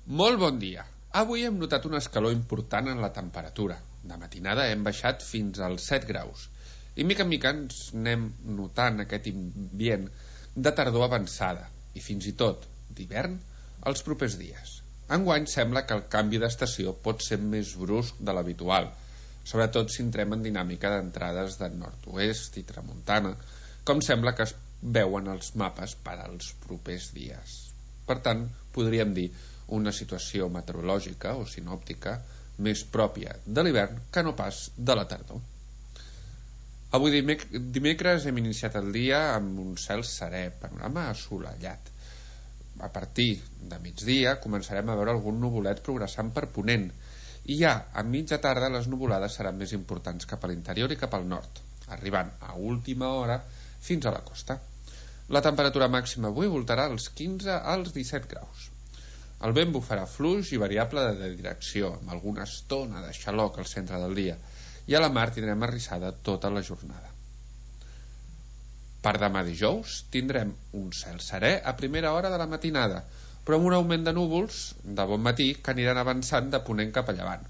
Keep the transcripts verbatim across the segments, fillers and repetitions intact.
Molt bon dia. Avui hem notat una escalor important en la temperatura. De matinada hem baixat fins als set graus. I mica en mica ens anem notant aquest ambient de tardor avançada i fins i tot d'hivern els propers dies. Enguany sembla que el canvi d'estació pot ser més brusc de l'habitual, sobretot si entrem en dinàmica d'entrades de nord-oest i tramuntana, com sembla que es veuen els mapes per als propers dies. Per tant, podríem dir una situació meteorològica o sinòptica més pròpia de l'hivern que no pas de la tardor. Avui dimec dimecres hem iniciat el dia amb un cel serè, panorama assolellat. A partir de migdia començarem a veure algun nuvolet progressant per ponent i ja a mitja tarda les nuvolades seran més importants cap a l'interior i cap al nord, arribant a última hora fins a la costa. La temperatura màxima avui voltarà als quinze als disset graus. El vent bufarà fluix i variable de direcció, amb alguna estona de xaloc al centre del dia, i a la mar tindrem arrissada tota la jornada. Per demà dijous tindrem un cel serè a primera hora de la matinada, però amb un augment de núvols de bon matí que aniran avançant de ponent cap a llevant.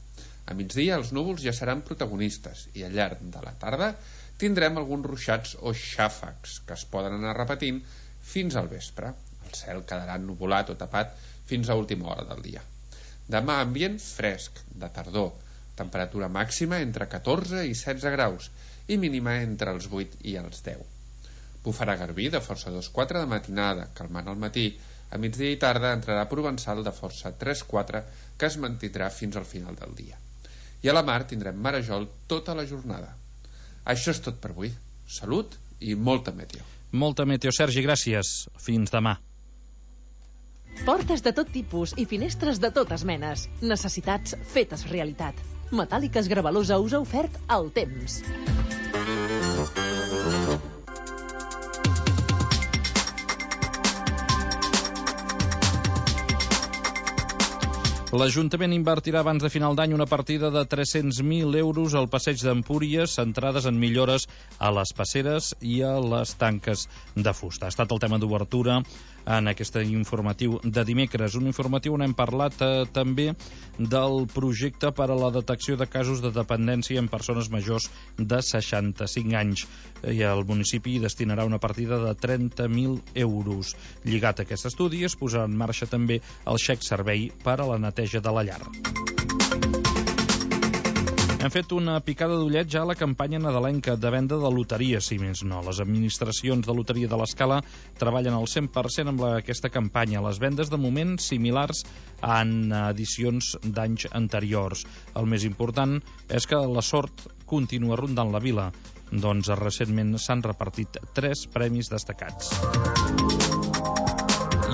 A migdia els núvols ja seran protagonistes i al llarg de la tarda tindrem alguns ruixats o xàfecs que es poden anar repetint fins al vespre. El cel quedarà ennuvolat o tapat fins a última hora del dia. Demà ambient fresc, de tardor, temperatura màxima entre catorze i setze graus i mínima entre els vuit i els deu. Bufarà garbí de força dos quatre de matinada, calmant al matí. A migdia i tarda entrarà provençal de força tres quatre que es mantindrà fins al final del dia. I a la mar tindrem marejol tota la jornada. Això és tot per avui. Salut i molta meteo. Molta meteo, Sergi, gràcies. Fins demà. Portes de tot tipus i finestres de totes menes. Necessitats fetes realitat. Metàl·liques Gravalusa us ha ofert el temps. L'Ajuntament invertirà abans de final d'any una partida de tres-cents mil euros al passeig d'Empúries, centrades en millores a les passeres i a les tanques de fusta. Ha estat el tema d'obertura en aquest informatiu de dimecres. Un informatiu on hem parlat eh, també del projecte per a la detecció de casos de dependència en persones majors de seixanta-cinc anys. I el municipi destinarà una partida de trenta mil euros. Lligat a aquest estudi es posarà en marxa també el xec servei per a la neteja de la llar. Hem fet una picada d'ullet ja a la campanya nadalenca de venda de loteria, si més no. Les administracions de loteria de l'Escala treballen al cent per cent amb la, aquesta campanya. Les vendes de moment similars en edicions d'anys anteriors. El més important és que la sort continua rondant la vila. Doncs recentment s'han repartit tres premis destacats.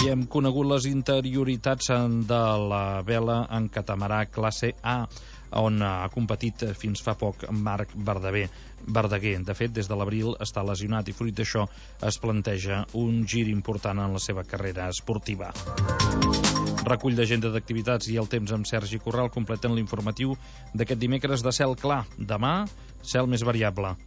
I hem conegut les interioritats de la vela en catamarà classe A, on ha competit fins fa poc Marc Verdaguer. Verdaguer, de fet, des de l'abril està lesionat i fruit d'això es planteja un gir important en la seva carrera esportiva. Recull d'agenda d'activitats i el temps amb Sergi Corral completen l'informatiu d'aquest dimecres de cel clar. Demà, cel més variable.